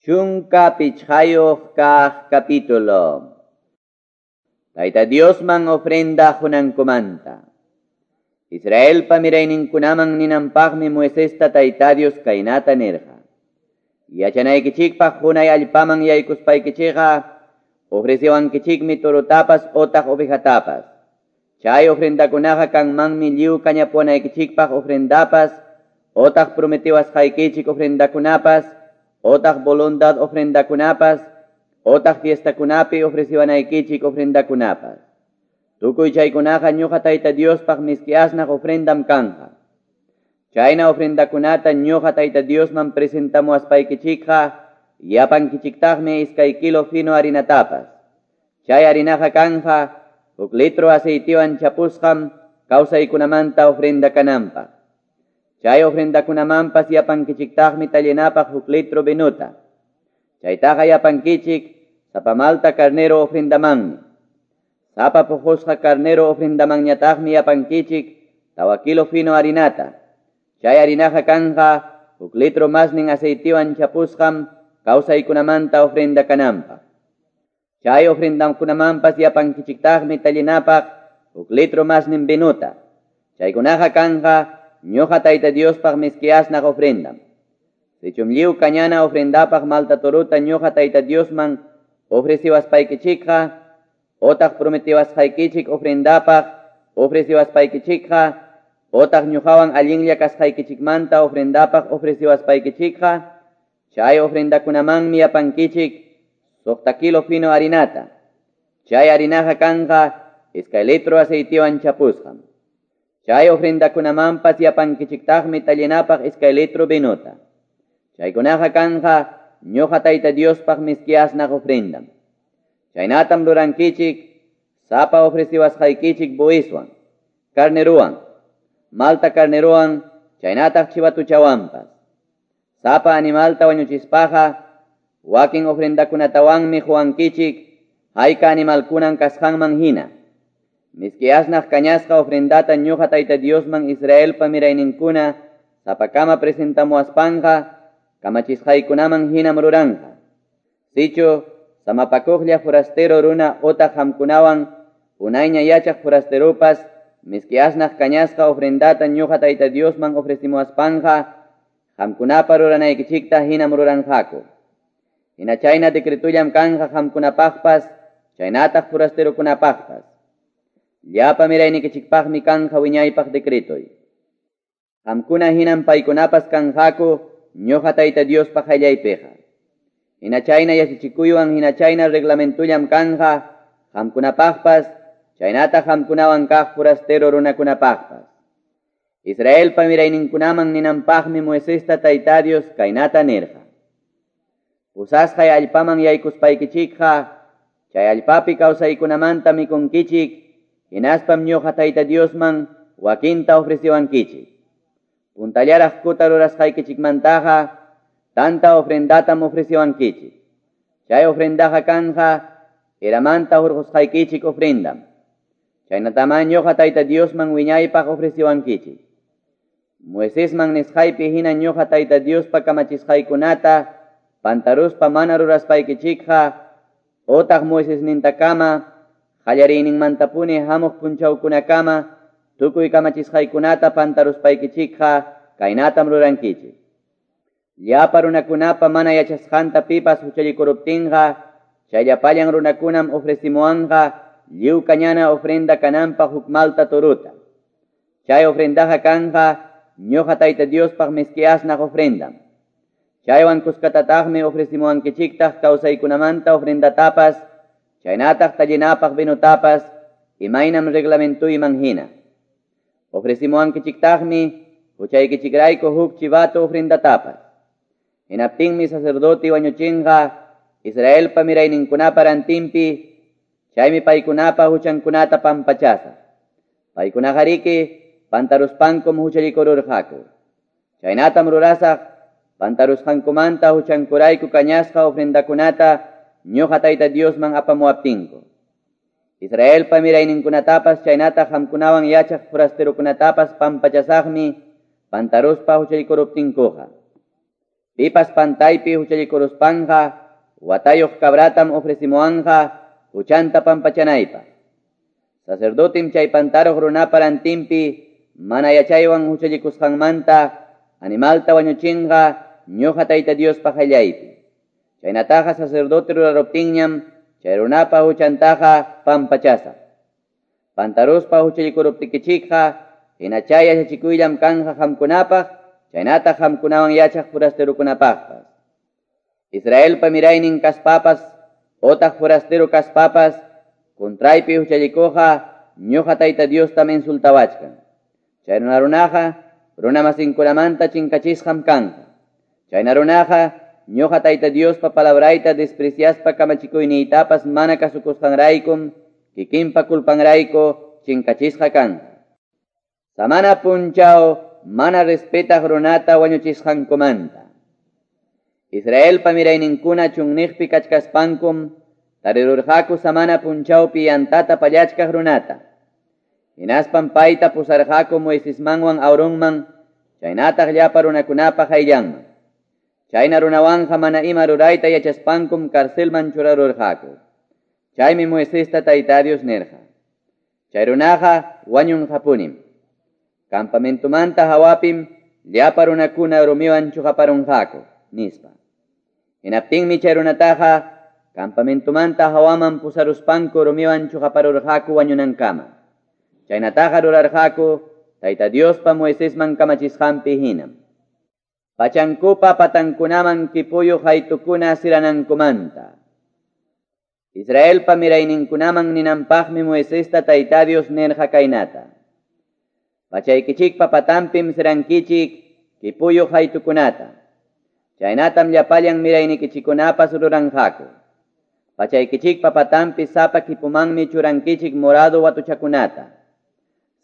15 kaq capítulo. Tayta Diosman ofrenda qunankumanta. Israelpa mirayninkunaman ninanpaqmi Moisesta Tayta Dios kaynata nirqa. Yachanaykichikpaq qunay allpaman yaykuspaykichikqa ofreciwankichikmi torotapas otaq ovejatapas. Chay ofrendakunaqa kanmanmi lliw kañapuwanaykichikpaq ofrendapas otaq prometiwasqaykichik ofrendakunapas otaq voluntad ofrendakunapas otaq fiestakunapi ofreciwanaykichik ofrendakunapas. Tukuy chaykunaqa ñuqa Tayta Diospaq miski asnaq ofrendam kanja. Chayna ofrendakunata ñuqa Tayta Diosman presentamuwaspaykichikqa yapankichiktaqmi 2 kilo fino harinatapas. Chay harinaqa kanja 1 litro aceitiwan chapusqam kawsaykunamanta ofrenda kananpaq. Chay ofrendakunamanpas yapankichiktaqmi tallinapaq 1 litro vinuta. Chaytaqa yapankichik sapa malta carnero ofrendamanmi. Sapa puqusqa carnero ofrendamanñataqmi yapankichik 4 kilo fino harinata. Chay harinaqa kanja 1 litro masnin aceitiwan chapusqam kawsaykunamanta ofrenda kananpaq. Chay ofrendakunamanpas yapankichiktaqmi tallinapaq 1 litro masnin vinuta. Chaykunaqa kanja ñuqa Tayta Diospaq miski asnaq ofrendam. Sichum lliw kañana ofrendapaq malta toruta ñuqa Tayta Diosman ofreciwaspaykichikqa otaq prometiwasqaykichik ofrendapaq ofreciwaspaykichikqa otaq ñuqawan allinlla kasqaykichikmanta ofrendapaq ofreciwaspaykichikqa chay ofrendakunamanmi yapankichik 6 kilo fino harinata. Chay harinaqa kanja 2 litro aceitiwan chapusqam. Chay ofrendakunamanpas yapankichiktaqmi tallinapaq 2 litro vinuta. Chaykunaqa kanja ñuqa Tayta Diospaq miski asnaq ofrendam. Chaynatam rurankichik sapa ofreciwasqaykichik buiswan, carneruwan, malta carneruwan, chaynataq chivatuchawanpas. Sapa animalta wañuchispaqa wakin ofrendakunatawanmi quwankichik hayka animalkunan kasqanman hina. Miski asnaq kañasqa ofrendata ñuqa Tayta Diosman Israelpa mirayninkuna sapakama presentamuwaspanqa kamachisqaykunaman hinam ruranqa. Sichu samapakuqlla forastero runa otaq qamkunawan unayña yachaq forasteropas miski asnaq kañasqa ofrendata ñuqa Tayta Diosman ofrecimuwaspanqa qamkunapa ruranaykichikta hinam ruranqaku. Hina chayna decretullam kanja qamkunapaqpas chaynataq forasterokunapaqpas. Llapa miraynikichikpaqmi kanja wiñaypaq decretoy. Qamkuna hinam paykunapas kanqaku ñuqa Tayta Diospaq qayllaypiqa. Hina chayna yachachikuywan hina chayna reglamentullam kanja qamkunapaqpas chaynataq qamkunawan kaq forastero runakunapaqpas. Israelpa mirayninkunaman ninanpaqmi Moisesta Tayta Dios kaynata nirqa. Pusasqay allpaman yaykuspaykichikqa chay allpapi kawsaykunamanta mikunkichik hinaspam ñuqa Tayta Diosman wakinta ofreciwankichik. Puntallaraq kuta rurasqaykichikmantaqa tanta ofrendatam ofreciwankichik. Chay ofrendaqa kanja eramanta hurqusqaykichik ofrendam. Chaynatamá ñuqa Tayta Diosman wiñaypaq ofreciwankichik. Moisesman nisqaypi hina ñuqa Tayta Diospa kamachisqaykunata pantaruspa mana ruraspaykichikqa otaq Moisesnintakama qallariyninmantapuni hamuq punchawkunakama tukuy kamachisqaykunata pantaruspaykichikqa kaynatam rurankichik. Llapa runakunapa mana yachasqanta pipas huchallikuruptinqa chay llapallan runakunam ofrecimuwanqa lliw kañana ofrenda kananpaq huk malta toruta. Chay ofrendaqa kanja ñuqa Tayta Diospaq miski asnaq ofrendam. Chaywan kuskatataqmi ofrecimuwankichiktaq kawsaykunamanta ofrendatapas chaynataq tallinapaq vinutapas imaynam reglamentuyman hina. Ofrecimuwankichiktaqmi huchaykichikrayku huk chivato ofrendatapas. Hinaptinmi sacerdote wañuchinqa Israelpa mirayninkunapa rantinpi chaymi paykunapa huchankunata pampachasaq. Paykunaqariki pantaruspankum huchallikururqaku. Chaynatam rurasaq pantarusqankumanta huchankurayku kañasqa ofrendakunata ñuqa Tayta Diosman apamuwaptinku. Israelpa mirayninkunatapas chaynataq qamkunawan yachaq forasterokunatapas pampachasaqmi pantaruspa huchallikuruptinkuqa. Pipas pantaypi huchallikuruspanqa watayuq cabratam ofrecimuwanqa huchanta pampachanaypaq. Sacerdotem chay pantaruq runapa rantinpi mana yachaywan huchallikusqanmanta animalta wañuchinqa ñuqa Tayta Diospa qayllaypi. Chaynataqa sacerdote ruraruptinñam chay runapa huchantaqa pampachasaq. Pantaruspa huchallikuruptikichikqa hina chay yachachikuyllam kanja qamkunapaq chaynataq qamkunawan yachaq forasterokunapaqpas. Israelpa miraynin kaspapas otaq forastero kaspapas contraypi huchallikuqa ñuqa Tayta Diostam insultawachkan. Chay runaqa runamasinkunamanta chinkachisqam kanqa. Chayna runaqa ñuqa Tayta Diospa palabrayta despreciaspa kamachikuyniytapas mana kasukusqanraykum kikinpa culpanrayku chinkachisqa kanqa. Samana punchaw mana respetaq runata wañuchisqankumanta. Israelpa mirayninkuna chunniqpi kachkaspankum tarirurqaku samana punchawpi yantata pallachkaq runata. Hinaspam payta pusarqaku Moisesmanwan Aaronman chaynataq llapa runakunapa qayllanman. Chayna runawanqa mana ima rurayta yachaspankum carcelman churarurqaku. Chaymi Moisesta Tayta Dios nirqa: Chay runaqa wañunqapunim. Campamentumanta hawapim llapa runakuna rumiwan chuqaparunqaku, nispa. Hinaptinmi chay runataqa campamentumanta hawaman pusaruspanku rumiwan chuqaparurqaku wañunankama. Chaynataqa rurarqaku Tayta Diospa Moisesman kamachisqanpi hinam. Pachankupa patankunaman kipuyuq haytukuna siranankumanta. Israelpa mirayninkunaman ninanpaqmi Moisesta Tayta Dios nirqa kaynata: Pachaykichikpa patanpim sirankichik kipuyuq haytukunata. Chaynatam llapallan miraynikichikunapas ruranqaku. Pachaykichikpa patanpi sapa kipumanmi churankichik morado watuchakunata.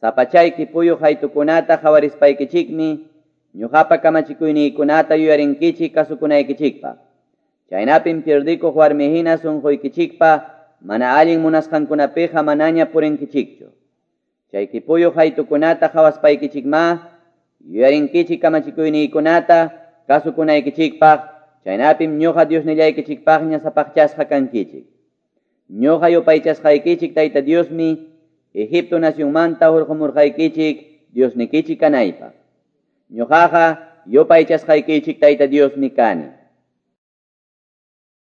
Sapa chay kipuyuq haytukunata qhawarispaykichikmi ñuqapa kamachikuyniykunata yuyarinkichik kasukunaykichikpaq. Chaynapim pierdikuq warmihina sunquykichikpa mana allin munasqankunapiqa manaña purinkichikchu. Chay kipuyuq haytukunata qhawaspaykichikma yuyarinkichik kamachikuyniykunata kasukunaykichikpaq. Chaynapim ñuqa Diosnillaykichikpaqña sapaqchasqa kankichik. Ñuqa yupaychasqaykichik Tayta Diosmi Egipto nacionmanta hurqumurqaykichik Diosnikichik kanaypaq. Ñuqaqa yupaychasqaykichik Tayta Diosmi kani.